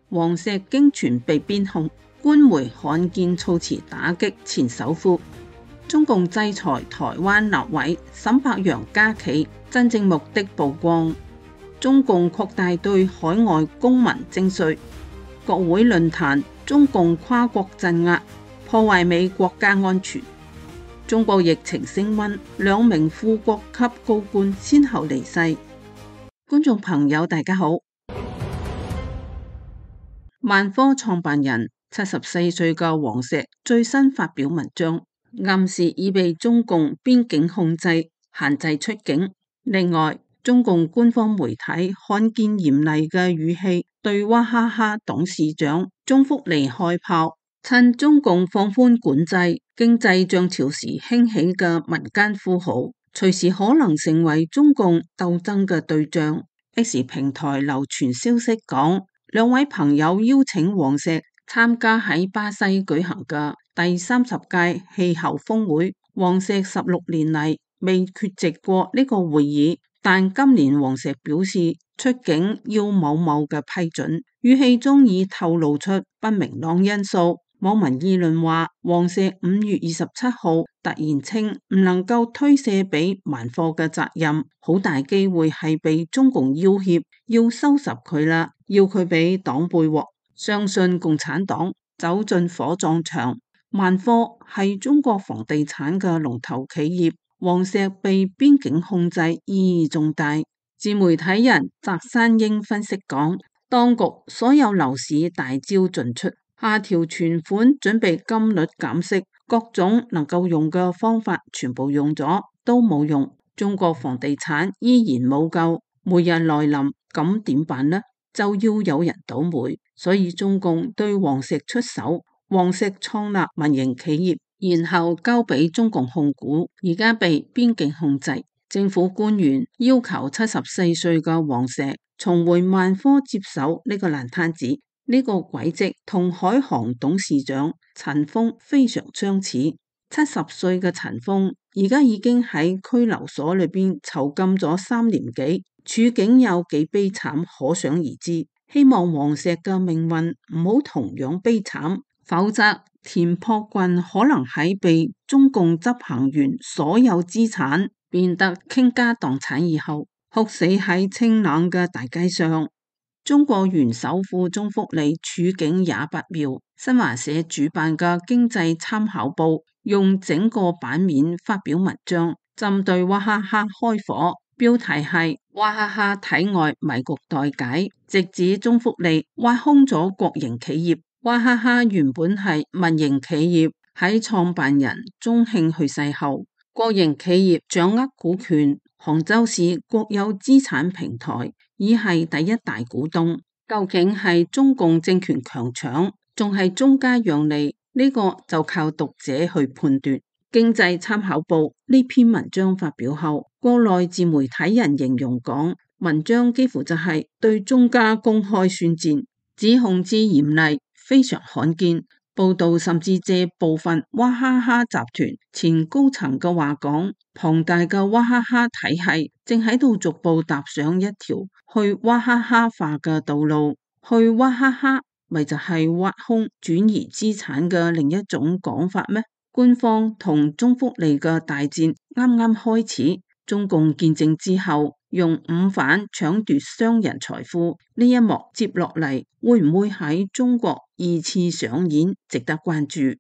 黃石經傳被邊控，官媒罕見措辭打擊前首富。中共制裁台灣立委沈伯洋家企，真正目的曝光。中共擴大對海外公民徵稅。國會論壇，中共跨國鎮壓，破壞美國家安全。中國疫情升溫，2名副國級高官先後離世。觀眾朋友大家好。萬科創辦人74歲嘅黃石最新發表文章，暗示已被中共邊境控制，限制出境。另外，中共官方媒體罕見嚴厲嘅語氣對娃哈哈董事長鍾福利開炮，趁中共放寬管制、經濟漲潮時興起嘅民間富豪，隨時可能成為中共鬥爭嘅對象。X 平台流傳消息講，2位朋友邀請黃石參加喺巴西舉行嘅第30屆氣候峰會。黃石16年嚟未缺席過呢個會議，但今年黃石表示出境要某某嘅批准，語氣中已透露出不明朗因素。網民議論話，黃石5月27號突然稱唔能夠推卸俾萬科嘅責任，好大機會係被中共要挾，要收拾佢啦，要佢俾黨背鑊。相信共產黨走進火葬場。萬科係中國房地產嘅龍頭企業，黃石被邊境控制意義重大。自媒體人翟山英分析講，當局所有樓市大招盡出，下調存款準備金率減息，各種能夠用嘅方法全部用咗都冇用，中國房地產依然冇救，末日來臨，咁點辦呢？就要有人倒霉，所以中共對黃石出手。黃石創立民營企業，然後交俾中共控股，而家被邊境控制。政府官員要求74歲嘅黃石重回萬科接手呢個爛攤子。呢個軌跡同海航董事長陳鋒非常相似。70歲嘅陳鋒而家已經喺拘留所裏邊囚禁咗3年幾，處境有幾悲慘可想而知。希望黃石嘅命運唔好同樣悲慘，否則田朴珺可能喺被中共執行完所有資產，變得傾家蕩產以後，哭死喺清冷嘅大街上。中國原首富鍾福利處境也不妙。新華社主辦嘅經濟參考報用整個版面發表文章，針對娃哈哈開火，標題係娃哈哈體外迷局待解，直指鍾福利挖空咗國營企業。娃哈哈原本係民營企業，喺創辦人鍾慶去世後，國營企業掌握股權，杭州市國有資產平台已係第一大股東。究竟係中共政權強搶，仲係中間讓利？呢個就靠讀者去判斷。經濟參考報呢篇文章發表後，國內自媒體人形容講，文章幾乎就係對中家公開宣戰，指控之嚴厲，非常罕見。報道甚至借部分娃哈哈集團前高層嘅話講，龐大嘅娃哈哈體系正喺度逐步踏上一條去娃哈哈化嘅道路。去娃哈哈咪就係挖空轉移資產嘅另一種講法咩？官方同鍾福利嘅大戰啱啱開始，中共建政之後用午飯搶奪商人財富呢一幕接落嚟，會唔會喺中國2次上演？值得關注。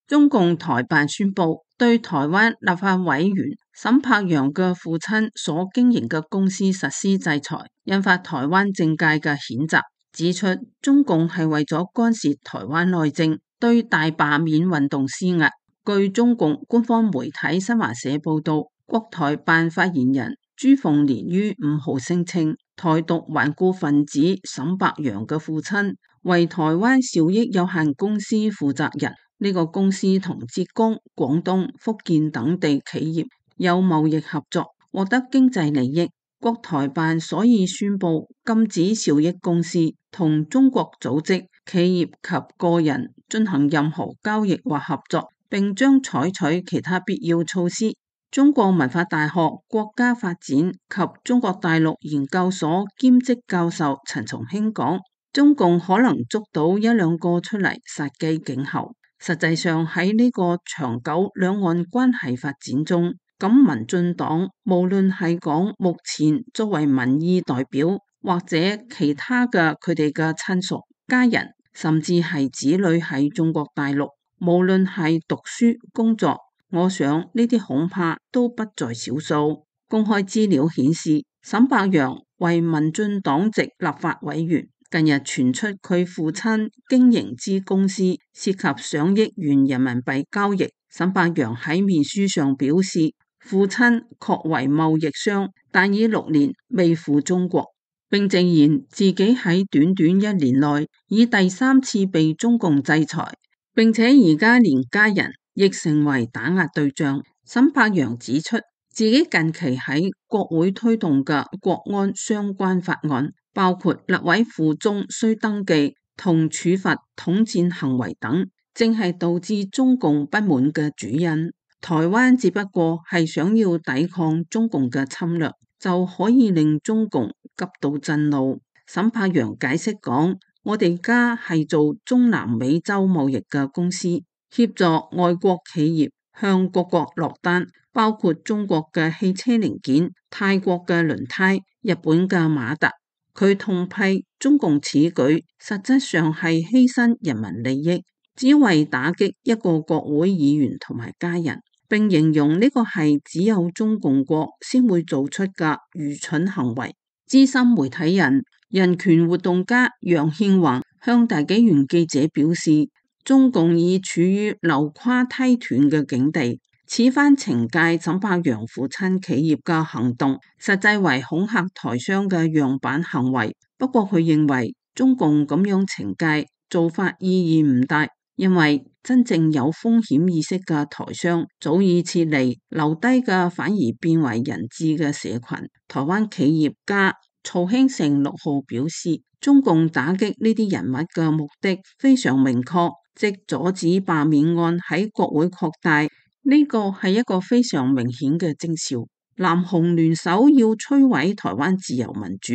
中共台辦宣布對台灣立法委員沈伯洋嘅父親所經營嘅公司實施制裁，引發台灣政界嘅譴責，指出中共係為咗干涉台灣內政，對大罷免運動施壓。據中共官方媒體新華社報道，國台辦發言人朱鳳蓮於5號聲稱，台獨頑固分子沈伯洋嘅父親為台灣兆益有限公司負責人，呢個公司同浙江、廣東、福建等地企業有貿易合作，獲得經濟利益。國台辦所以宣布禁止兆益公司同中國組織、企業及個人進行任何交易或合作，並將採取其他必要措施。中國文化大學國家發展及中國大陸研究所兼職教授陳松興講，中共可能捉到一兩個出嚟殺雞儆猴。實際上喺呢個長久兩岸關係發展中，咁民進黨無論係講目前作為民意代表，或者其他嘅佢哋嘅親屬、家人，甚至係子女喺中國大陸，無論係讀書、工作，我想呢啲恐怕都不在少數。公開資料顯示，沈伯洋為民進黨籍立法委員，近日傳出佢父親經營之公司涉及上億元人民幣交易。沈伯洋喺面書上表示，父親確為貿易商，但已6年未赴中國，並直言自己喺短短1年內已第3次被中共制裁，並且而家連家人亦成為打壓對象。沈伯洋指出，自己近期喺國會推動嘅國安相關法案，包括立委附中需登記同處罰統戰行為等，正係導致中共不滿嘅主因。台灣只不過係想要抵抗中共嘅侵略，就可以令中共急到震怒。沈伯洋解釋講，我哋家係做中南美洲貿易嘅公司，協助外國企業向各國落單，包括中國嘅汽車零件、泰國嘅輪胎、日本嘅馬達。佢痛批中共此舉實質上係犧牲人民利益，只為打擊一個國會議員同埋家人，並形容呢個係只有中共國先會做出嘅愚蠢行為。資深媒體人、人權活動家楊憲宏向大紀元記者表示，中共已處於流垮梯斷嘅境地，此番懲戒沈伯洋父親企業嘅行動，實際為恐嚇台商嘅樣板行為。不過佢認為中共咁樣懲戒做法意義唔大，因為真正有風險意識嘅台商早已撤離，留低嘅反而變為人質嘅社群。台灣企業家曹興誠6號表示，中共打擊呢啲人物嘅目的非常明確，即阻止罷免案喺國會擴大，呢個係一個非常明顯嘅徵兆。藍紅聯手要摧毀台灣自由民主。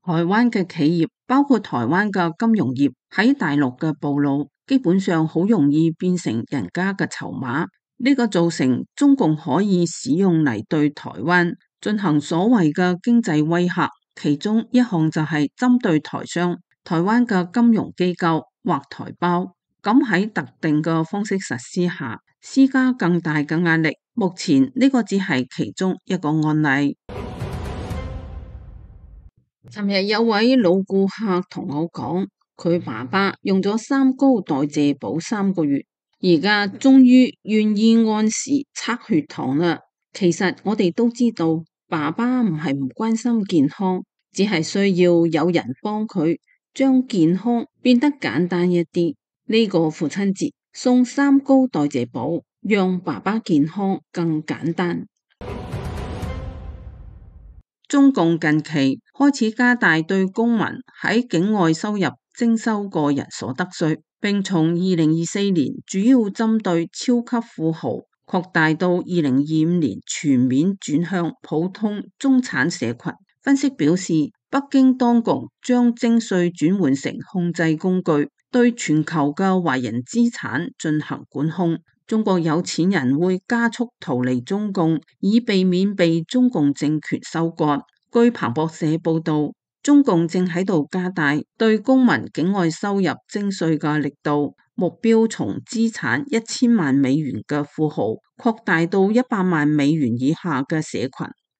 台灣嘅企業，包括台灣嘅金融業，喺大陸嘅暴露，基本上好容易變成人家嘅籌碼。呢個造成中共可以使用嚟對台灣進行所謂嘅經濟威嚇，其中一項就係針對台商、台灣嘅金融機構或台胞，咁喺特定嘅方式實施下，施加更大嘅壓力。目前呢個只係其中一個案例。尋日有位老顧客同我講，佢爸爸用咗三高代謝補3個月，而家終於願意按時測血糖啦。其實我哋都知道，爸爸唔係唔關心健康，只係需要有人幫佢將健康變得簡單一啲。呢個父親節送3高代謝補，讓爸爸健康更簡單。中共近期開始加大對公民喺境外收入徵收個人所得稅，並從2024年主要針對超級富豪，擴大到2025年全面轉向普通中產社群。分析表示，北京當局將徵稅轉換成控制工具，對全球嘅華人資產進行管控。中國有錢人會加速逃離中共，以避免被中共政權收割。據彭博社報道，中共正喺度加大對公民境外收入徵稅嘅力度，目標從資產1000萬美元嘅富豪擴大到100萬美元以下嘅社群。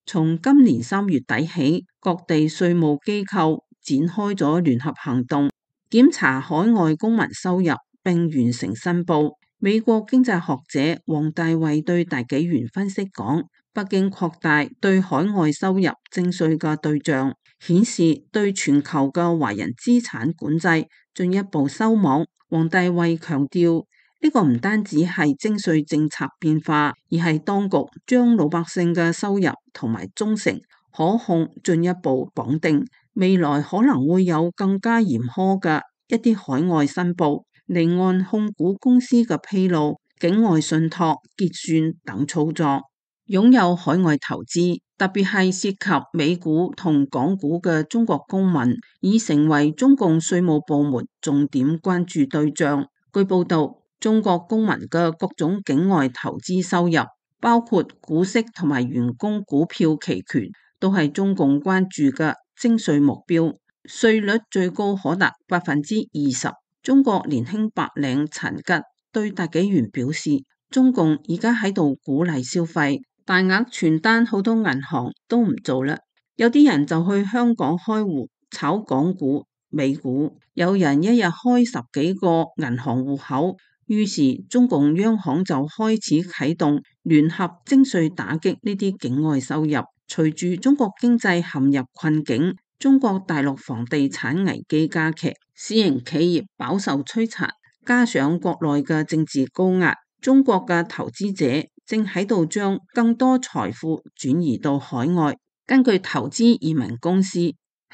從今年3月底起，各地稅務機構展開咗聯合行動，檢查海外公民收入並完成申報。美國經濟學者王大衛對大紀元分析講，北京擴大對海外收入徵稅嘅對象，顯示對全球嘅華人資產管制進一步收網。王大衛強調，呢個唔單止係徵稅政策變化，而係當局將老百姓嘅收入同埋忠誠可控進一步綁定，未來可能會有更加嚴苛嘅一啲海外申報、離岸控股公司嘅披露、境外信託結算等操作。擁有海外投資，特別係涉及美股同港股嘅中國公民，已成為中共稅務部門重點關注對象。據報道，中國公民嘅各種境外投資收入，包括股息同埋員工股票期權，都係中共關注嘅徵稅目標，稅率最高可達20%。中國年輕白領陳吉對大紀元表示，中共而家喺度鼓勵消費。大額傳單好多銀行都唔做啦，有啲人就去香港開戶炒港股、美股，有人一日開10幾個銀行戶口。於是中共央行就開始啟動聯合徵稅打擊呢啲境外收入。隨住中國經濟陷入困境，中國大陸房地產危機加劇，私營企業飽受摧殘，加上國內嘅政治高壓，中國嘅投資者正喺度將更多財富轉移到海外。根據投資移民公司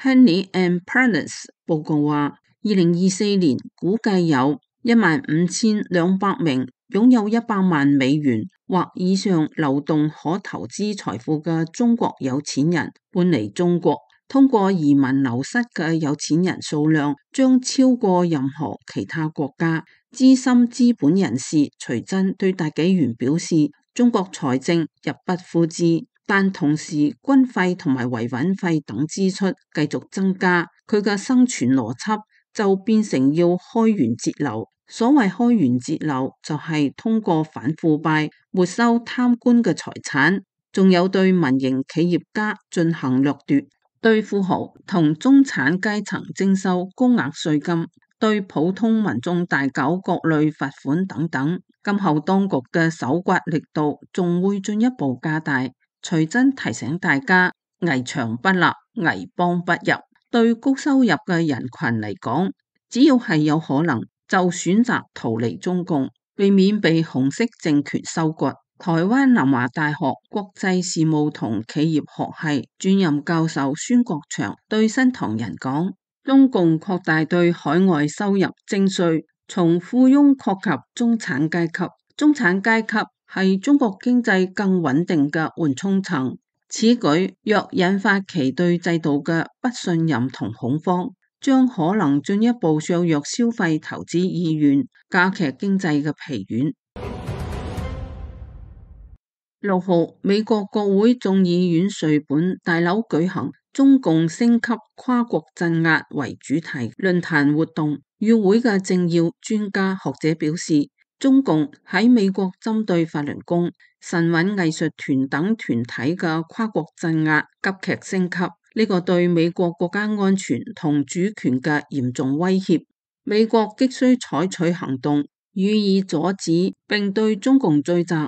Henley and Partners 報告話，2024年估計有15,200名擁有100萬美元或以上流動可投資財富嘅中國有錢人搬離中國。通過移民流失嘅有錢人數量將超過任何其他國家。資深資本人士徐真對大紀元表示，中國財政入不敷支，但同時軍費同埋維穩費等支出繼續增加，佢嘅生存邏輯就變成要開源節流。所謂開源節流，就係通過反腐敗沒收貪官嘅財產，仲有對民營企業家進行掠奪，對富豪同中產階層徵收高額稅金，對普通民眾大搞各類罰款等等。今後當局嘅搜刮力度仲會進一步加大。徐真提醒大家，危牆不立，危邦不入。對高收入嘅人群嚟講，只要係有可能，就選擇逃離中共，避免被紅色政權收割。台灣南華大學國際事務同企業學系專任教授孫國祥對新唐人講，中共擴大對海外收入徵稅，從富翁擴及中產階級。中產階級係中國經濟更穩定嘅緩衝層。此舉若引發其對制度嘅不信任同恐慌，將可能進一步削弱消費投資意願，加劇經濟嘅疲軟。6號，美國國會眾議院稅本大樓舉行中共升級跨國鎮壓為主題論壇活動，與會嘅政要、專家、學者表示，中共喺美國針對法輪功、神韻藝術團等團體嘅跨國鎮壓急劇升級，呢個對美國國家安全同主權嘅嚴重威脅，美國急需採取行動予以阻止，並對中共追責。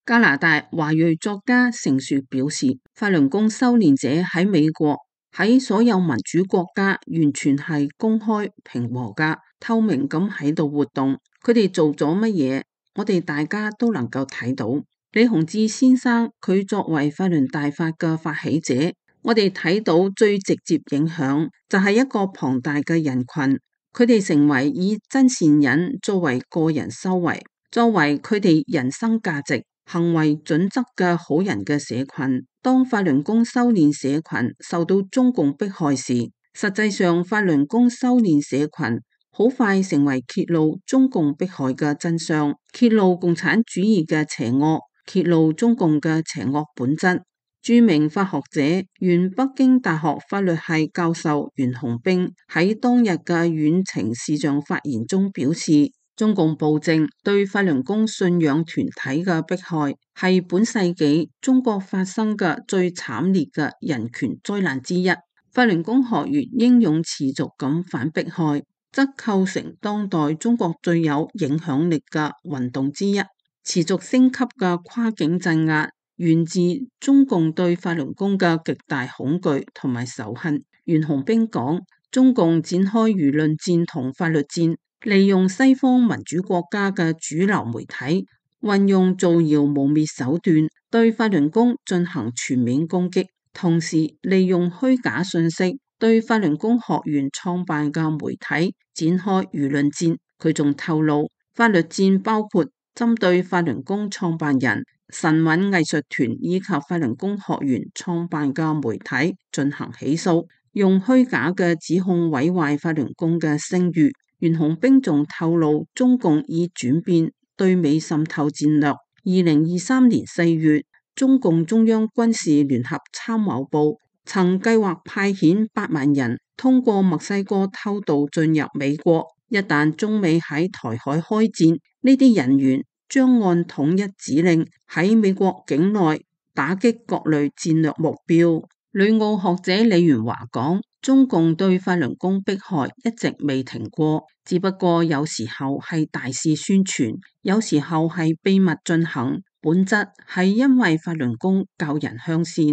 加拿大華裔作家成樹表示，法輪功修煉者喺美國喺所有民主國家完全係公開平和噶透明咁喺度活動，佢哋做咗乜嘢，我哋大家都能夠睇到。李洪志先生佢作為法輪大法嘅發起者，我哋睇到最直接影響就係一個龐大嘅人群，佢哋成為以真善忍作為個人修為，作為佢哋人生價值行為準則嘅好人嘅社群。當法輪功修煉社群受到中共迫害時，實際上法輪功修煉社群好快成為揭露中共迫害嘅真相，揭露共產主義嘅邪惡，揭露中共嘅邪惡本質。著名法學者、原北京大學法律系教授袁洪兵喺當日嘅遠程視像發言中表示，中共暴政對法輪功信仰團體嘅迫害係本世紀中國發生嘅最慘烈嘅人權災難之一。法輪功學員英勇持續咁反迫害，則構成當代中國最有影響力嘅運動之一。持續升級嘅跨境鎮壓源自中共對法輪功嘅極大恐懼同埋仇恨。袁洪兵講，中共展開輿論戰同法律戰，利用西方民主國家嘅主流媒體，運用造謠污衊手段對法輪功進行全面攻擊，同時利用虛假信息對法輪功學員創辦嘅媒體展開輿論戰。佢仲透露，法律戰包括針對法輪功創辦人神韻藝術團以及法輪功學員創辦嘅媒體進行起訴，用虛假嘅指控毀壞法輪功嘅聲譽。袁弘彬仲透露，中共已轉變對美滲透戰略。2023年4月，中共中央軍事聯合參謀部曾計劃派遣8萬人通過墨西哥偷渡進入美國。一旦中美喺台海開戰，呢啲人員將按統一指令喺美國境內打擊各類戰略目標。旅澳學者李元華講，中共對法輪功迫害一直未停過，只不過有時候係大肆宣傳，有時候係秘密進行，本質係因為法輪功教人向善，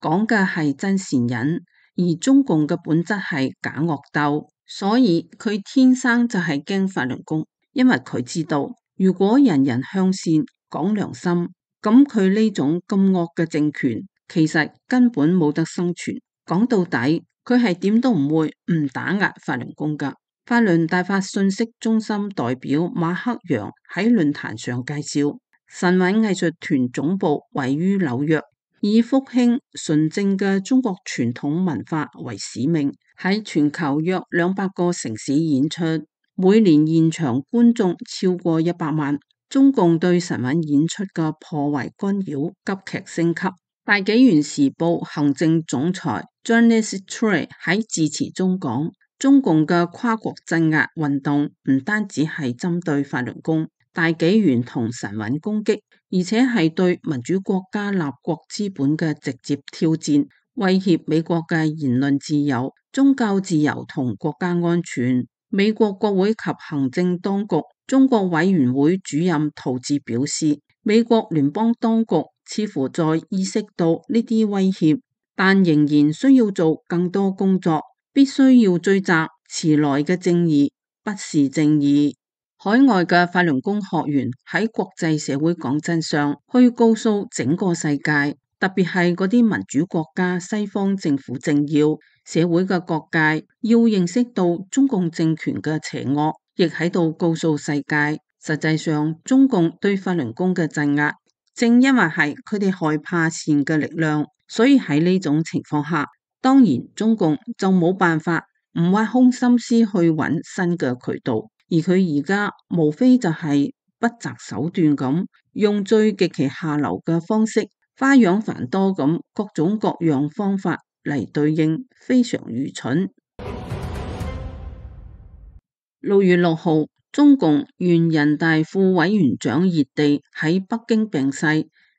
講嘅係真善忍，而中共嘅本質係假惡鬥，所以佢天生就係驚法輪功，因為佢知道如果人人向善講良心，咁佢呢種咁惡嘅政權其實根本冇得生存。講到底，佢係點都唔會唔打壓法輪功噶。法輪大法信息中心代表馬克揚喺論壇上介紹，神韻藝術團總部位於紐約，以復興純正嘅中國傳統文化為使命，喺全球約200個城市演出，每年現場觀眾超過100萬。中共對神韻演出嘅破壞干擾急劇升級。大紀元時報行政總裁 Janice Trey 喺致辭中講，中共嘅跨國鎮壓運動唔單止係針對法輪功、大紀元同神韻攻擊，而且係對民主國家立國資本嘅直接挑戰，威脅美國嘅言論自由、宗教自由同國家安全。美國國會及行政當局中國委員會主任陶志表示，美國聯邦當局似乎在意識到呢啲威脅，但仍然需要做更多工作，必須要追責遲來嘅正義不是正義。海外嘅法輪功學員喺國際社會講真相，去告訴整個世界，特別係嗰啲民主國家西方政府政要、社會嘅各界，要認識到中共政權嘅邪惡，亦喺度告訴世界，實際上中共對法輪功嘅鎮壓，正因為係佢哋害怕善嘅力量，所以喺呢種情況下，當然中共就冇辦法唔挖空心思去揾新嘅渠道，而佢而家無非就係不擇手段咁，用最極其下流嘅方式，花樣繁多咁，各種各樣方法嚟對應，非常愚蠢。6月6號，中共原人大副委員長熱地喺北京病逝。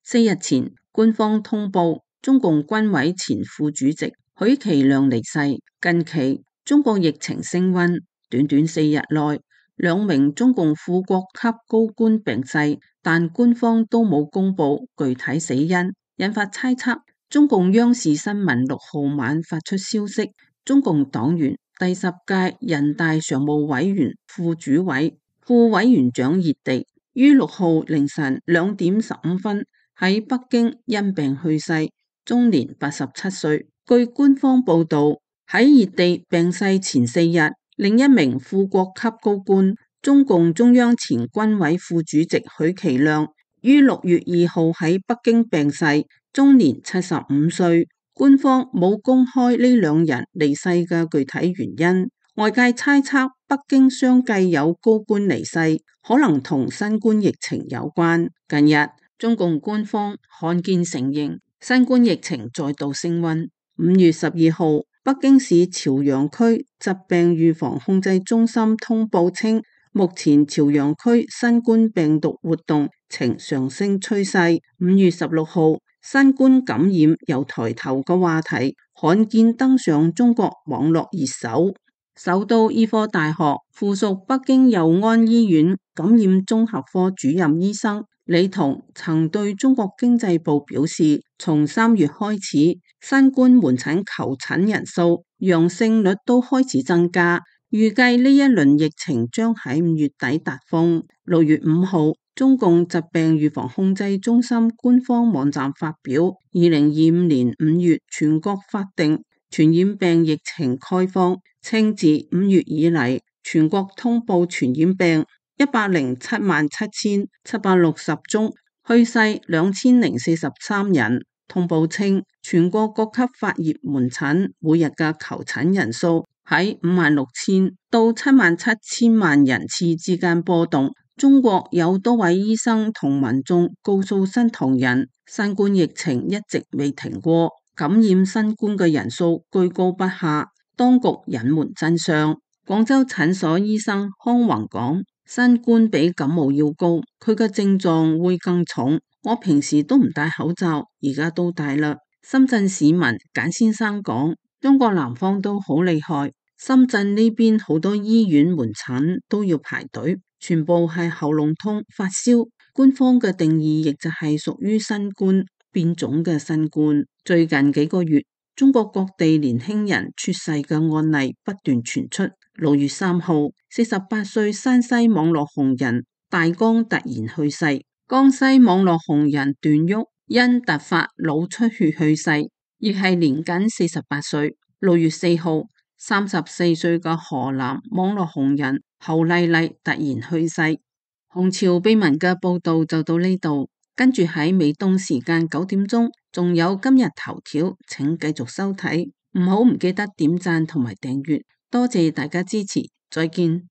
4日前，官方通報中共軍委前副主席許其亮離世。近期中國疫情升溫，短短4日內2名中共副國級高官病逝，但官方都冇公布具體死因，引發猜測。中共央視新聞6號晚發出消息，中共黨員第10屆人大常務委員副主委、副委員長熱地於6號凌晨2點15分喺北京因病去世，終年87歲。據官方報道，喺熱地病逝前4日，另一名副國級高官、中共中央前軍委副主席許其亮於6月2號喺北京病逝，終年75歲。官方冇公開呢2人離世嘅具體原因，外界猜測北京相繼有高官離世，可能同新冠疫情有關。近日，中共官方罕見承認新冠疫情再度升溫。5月12號，北京市朝陽區疾病預防控制中心通報稱，目前朝陽區新冠病毒活動呈上升趨勢。5月16號，新冠感染由抬頭嘅話題罕見登上中國網絡熱搜。首都醫科大學附屬北京佑安醫院感染綜合科主任醫生李彤曾對中國經濟部表示，從3月開始，新冠門診求診人數、陽性率都開始增加，預計呢一輪疫情將喺5月底達峰。6月5號，中共疾病預防控制中心官方網站發表2025年5月全國法定傳染病疫情概況，稱自5月以嚟，全國通報傳染病1077760宗，去世2043人。通報稱，全國各級發熱門診每日嘅求診人數喺56,000到77,000萬人次之間波動。中國有多位醫生同民眾告訴新唐人，新冠疫情一直未停過，感染新冠嘅人數居高不下，當局隱瞞真相。廣州診所醫生康宏講，新冠比感冒要高，佢嘅症狀會更重。我平時都唔戴口罩，而家都戴啦。深圳市民簡先生講，中國南方都好厲害，深圳呢邊好多醫院門診都要排隊，全部係喉嚨痛、發燒。官方嘅定義亦就係屬於新冠變種嘅新冠。最近幾個月，中國各地年輕人猝逝嘅案例不斷傳出。6月3號，48歲山西網絡紅人大江突然去世。江西網絡紅人段旭因突發腦出血去世，亦係年僅48歲。6月4號，34歲嘅河南網絡紅人侯麗麗突然去世。紅潮秘聞嘅報道就到呢度，跟住喺美東時間9點鐘，仲有今日頭條，請繼續收睇，唔記得點讚同埋訂閱，多謝大家支持，再見。